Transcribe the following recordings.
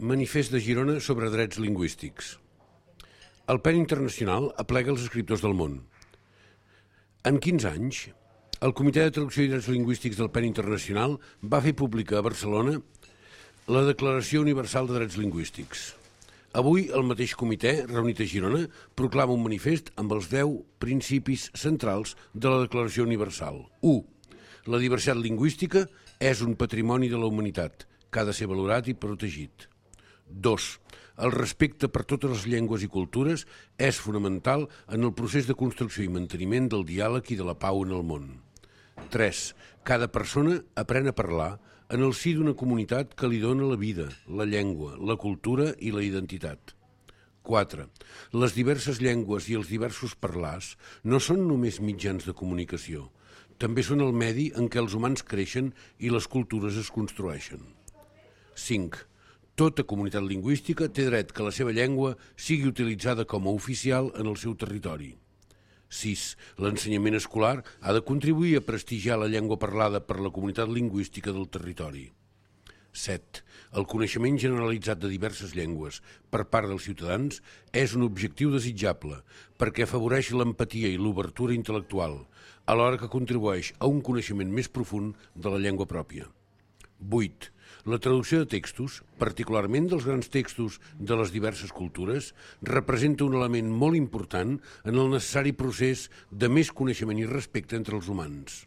Manifest de Girona sobre drets lingüístics. El PEN Internacional aplega els escriptors del món. En 15 anys, el Comitè de Traducció i Drets Lingüístics del PEN Internacional va fer pública a Barcelona la Declaració Universal de Drets Lingüístics. Avui, el mateix comitè, reunit a Girona, proclama un manifest amb els 10 principis centrals de la Declaració Universal. 1. La diversitat lingüística és un patrimoni de la humanitat, que ha de ser valorat i protegit. 2. El respecte per totes les llengües i cultures és fonamental en el procés de construcció i manteniment del diàleg i de la pau en el món. 3. Cada persona aprèn a parlar en el si d'una comunitat que li dona la vida, la llengua, la cultura i la identitat. 4. Les diverses llengües i els diversos parlars no són només mitjans de comunicació, també són el medi en què els humans creixen i les cultures es construeixen. 5. Tota comunitat lingüística té dret que la seva llengua sigui utilitzada com a oficial en el seu territori. 6. L'ensenyament escolar ha de contribuir a prestigiar la llengua parlada per la comunitat lingüística del territori. 7. El coneixement generalitzat de diverses llengües per part dels ciutadans és un objectiu desitjable perquè afavoreix l'empatia i l'obertura intel·lectual, alhora que contribueix a un coneixement més profund de la llengua pròpia. 8. La traducció de textos, particularment dels grans textos de les diverses cultures, representa un element molt important en el necessari procés de més coneixement i respecte entre els humans.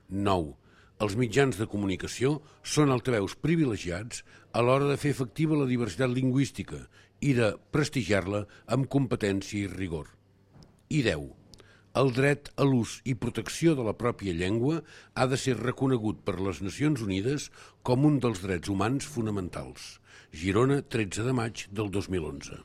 9. Els mitjans de comunicació són altaveus privilegiats a l'hora de fer efectiva la diversitat lingüística i de prestigiar-la amb competència i rigor. I 10. El dret a l'ús i protecció de la pròpia llengua ha de ser reconegut per les Nacions Unides com un dels drets humans fonamentals. Girona, 13 de maig del 2011.